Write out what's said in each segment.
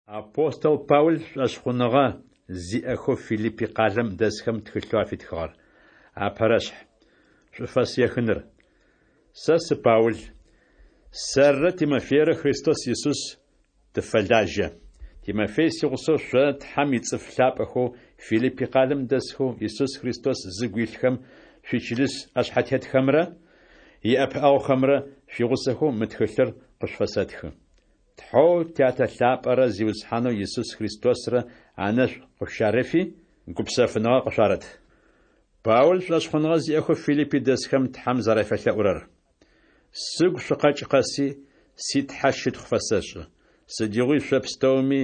Апостол Паул шӏошъхъуныгъэ зиӏэхэу Филиппи къалэм дэсхэм тхылъэу афитхыгъэр. Апэрэшъхь. Шӏуфэс ехыныр. Сэ сы Паул. Сэррэ Тимофейрэ Христос Исус тыфэлажьэ. Тимофей сигъусэу шъо, Тхьэм ицӏыф лъапӏэхэу Филиппи къалэм дэсхэу Исус Христос зыгу илъхэм шъуичылыс ӏэшъхьэтетхэмрэ иӏэпыӏэгъухэмрэ шъуигъусэхэу мы тхылъыр къышъуфэсэтхы. Тхьэу Тятэ лъапӏэрэ Зиусхьанэу Исус Христосрэ анэшӏу къышъущарэфи, гупсэфыныгъэ къышъуарэт. Паул шӏошъхъуныгъэ зиӏэхэу Филиппи дэсхэм Тхьэм зэрафелъэӏурэр. Сыгу шъукъэкӏ къэси, си Тхьэ щытхъу фэсэшӏы. Сыдигъуи шъо пстэуми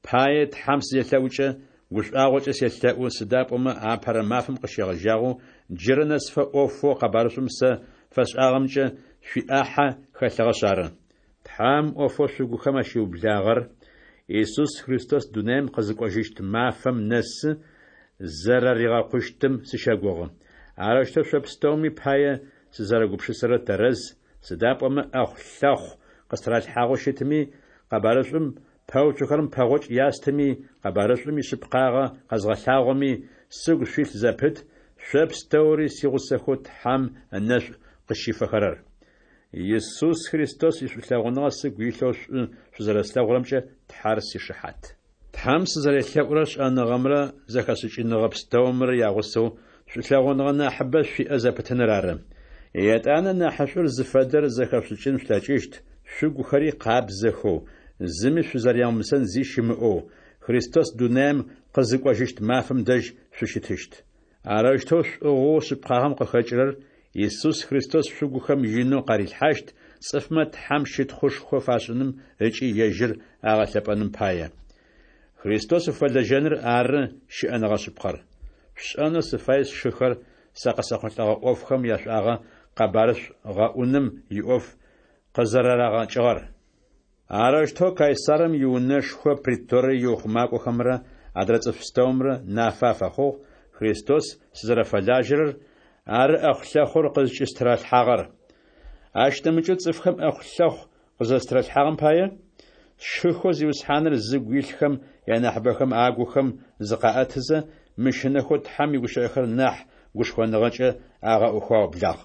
пае Тхьэм сызелъэӏукӏэ, гушӏуагъокӏэ селъэӏу, сыда пӏомэ апэрэ мафэм къыщегъэжьагъэу джырэ нэсыфэ ӏофэу къэбарышӏум сэ фэсшӏагъэмкӏэ шъуиӏахьэ хэлъыгъэшъ ары. Тхьэм ӏофэу шъугухэм ащиублагъэр Исус Христос дунаим къызыкӏожьыщт мафэм нэсы зэрэригъэкъущтым сыщэгугъы. Арэущтэу шъо пстэуми пае сызэрэгупшысэрэр тэрэз, сыда пӏомэ ӏэхъу-лъэхъу къыстыралъхьагъэу щытми, къэбарышӏум пэуцухэрэм пэгъокӏ ястыми, къэбарышӏум ишъыпкъагъэ къэзгъэлъагъоми, сыгу шъуилъ зэпыт, шъо пстэури сигъусэхэу Тхьэм ынэшӏу къызщифэхэрэр. Исус Христос ишӏулъэгъуныгъэ сыгу илъэу шӏу шъузэрэслъэгъурэмкӏэ Тхьэр сишыхьат. Тхьэм сызэрелъэӏурэр шӏэныгъэмрэ зэхэшӏыкӏыныгъэ пстэумрэ ягъусэу шӏулъэгъуныгъэ нахьыбэ шъуиӏэ зэпытыныр ары. Етӏанэ нахьышӏур зыфэдэр зэхэшъушӏыкӏын шъулъэкӏыщт, шъугухэри къабзэхэу, зыми шъузэрямыусэн зи щымыӏэу, Христос дунаим къызыкӏожьыщт мафэм дэжь шъущытыщт. Арэущтэу шӏугъэу шъыпкъагъэм къыхэкӏырэр Исус Христос шъугухэм инэу къарилъхьащт, цӏыфмэ Тхьэм щытхъушхо фашӏыным ыкӏи ежьыр агъэлъэпӏэным пае. Христос уфэлэжьэныр ары щыӏэныгъэ шъыпкъэр. Шъушӏэнэу сыфай сшыхэр сэ къысэхъулӏэгъэ ӏофхэм яшӏуагъэ къэбарышӏу гъэӏуным иӏоф къызэрэрагъэкӏыгъэр. Арэущтэу Кайсарым иунэшхо преторие иухъумакӏохэмрэ адрэ цӏыф пстэумрэ нафэ афэхъугъ Христос сызэрэфэлажьэрэр, ары ӏэхъу-лъэхъур къызкӏыстыралъхьагъэр. Ащ нэмыкӏэу цӏыфхэм ӏэхъу-лъэхъу къызэрэстыралъхьагъэм пае, сшыхэу Зиусхьаныр зыгу илъхэм янахьыбэхэм агухэм зыкъаӏэтызэ, мыщынэхэу Тхьэм игущыӏэхэр нахь гушхоныгъэкӏэ агъэӏухэу аублагъ.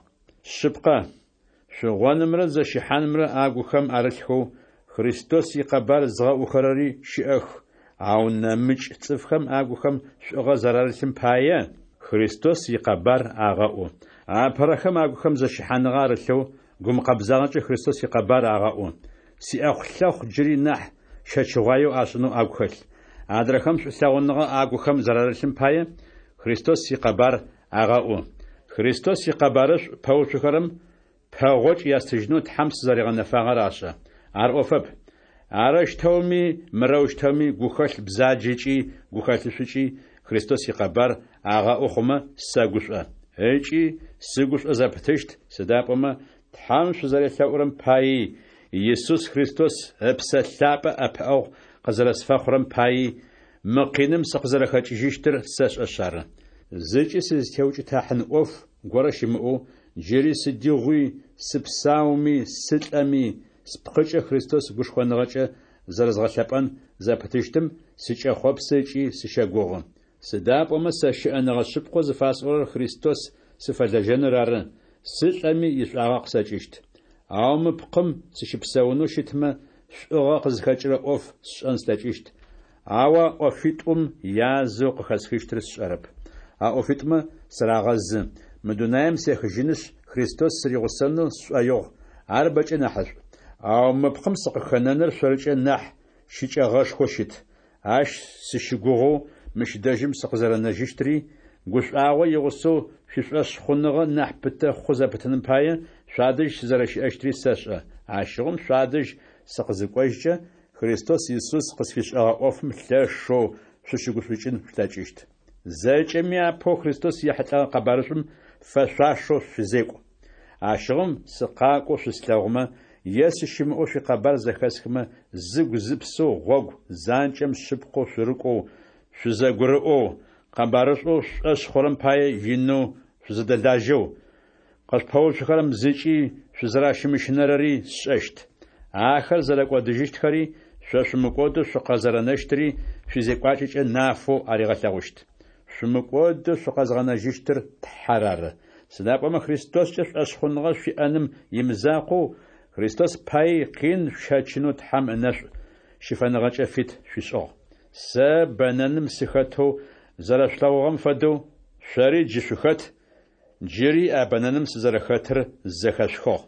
Шъыпкъэ, шъугъонымрэ зэщыхьанымрэ агухэм арылъхэу, Христос икъэбар зыгъэӏухэрэри щыӏэх, ау нэмыкӏ цӏыфхэм агухэм шӏугъэ зэрарылъым пае, Христос икъэбар агъэӏу. Апэрэхэм агухэм зэщыхьаныгъэ арылъэу, гумыкъэбзагъэкӏэ Христос икъэбар агъэӏу. Сиӏэхъу-лъэхъу джыри нахь щэчыгъуаеу ашӏынэу агу хэлъ. Адрэхэм шӏулъэгъуныгъэ агухэм зэрарылъым пае, Христос икъэбар агъэӏу. Христос икъэбарышӏу пэуцухэрэм пэгъокӏ ястыжьынэу Тхьэм сызэригъэнэфагъэр ашӏэ. Ар ӏофэп. Арэущтэуми мырэущтэуми гухэлъ бзаджэкӏи гухэлъышӏукӏи Христос икъэбар агъэӏу хъумэ, сэгушӏо. Ыкӏи сыгушӏо зэпытыщт, сыда пӏомэ Тхьэм шъузэрелъэӏурэм паий, Исус Христос Ыпсэ Лъапӏэ ӏэпыӏэгъу къызэрэсфэхъурэм паий, мы къиным сыкъызэрэхэкӏыжьыщтыр сэшӏэшъ ары. Зыкӏи сызтеукӏытахьын ӏоф горэ щымыӏэу, джыри сыдигъуи, сыпсауми, сылӏэми, спкъыкӏэ Христос гушхоныгъэкӏэ зэрэзгъэлъэпӏэн зэпытыщтым сыкӏэхъопсы ыкӏи сыщэгугъы. Сыда пӏомэ сэ щыӏэныгъэ шъыпкъэу зыфасӏорэр Христос сыфэлэжьэныр ары, сылӏэми ишӏуагъэ къысэкӏыщт. Ау мы пкъым сыщыпсэунэу щытмэ, шӏугъэ къызхэкӏырэ ӏоф сшӏэн слъэкӏыщт, ау а ӏофитӏум язэу къыхэсхыщтыр сшӏэрэп. А ӏофитӏумэ сырагъэзы, мы дунаим сехыжьынышъ, Христос сыригъусэнэу сшӏоигъу, ар бэкӏэ нахьышӏу. Ау мы пкъым сыкъыхэнэныр шъоркӏэ нахь щыкӏэгъэшхоу щыт. Ащ сыщыгугъэу мыщ дэжьым сыкъызэрэнэжьыщтри, гушӏуагъо игъусэу шъуишӏошъхъуныгъэ нахь пытэ хъу зэпытыным пае, шъуадэжь сызэрэщыӏэщтри сэшӏэ. Ащыгъум шъуадэжь сыкъызыкӏожькӏэ, Христос Исус къысфишӏэгъэ ӏофым лъэшэу шъущыгушӏукӏын шъулъэкӏыщт. Зэкӏэми апэу Христос ехьылӏэгъэ къэбарышӏум фэшъуашэу шъузекӏу. Ащыгъум сыкъакӏоу шъуслъэгъумэ е сыщымыӏэу шъуикъэбар зэхэсхымэ, зыгу-зыпсэу гъогу занкӏэм шъыпкъэу шъурыкӏоу, шъузэгурыӏоу, къэбарышӏоу шъушӏошъ хъурэм пае инэу шъузэдэлажьэу, къышъупэуцухэрэм зыкӏи шъузэращымыщынэрэри сшӏэщт. Ахэр зэрэкӏодыжьыщтхэри Шъо шъумыкӏодэу шъукъэзэрэнэщтыри шъуизекӏуакӏэкӏэ нафэу аригъэлъэгъущт. Шъумыкӏодэу шъукъэзгъэнэжьыщтыр Тхьэр ары. Сыда пӏомэ Христоскӏэ шӏошъхъуныгъэ шъуиӏэным имызакъоу, Христос паий къин шъущэчынэу Тхьэм ынэшӏу щыфэныгъэкӏэ фит шъуишӏыгъ. Сэ бэнэным сыхэтэу зэрэшъулъэгъугъэм фэдэу, шъори джы шъухэт, джыри а бэнэным сызэрэхэтыр зэхэшъухыгъ.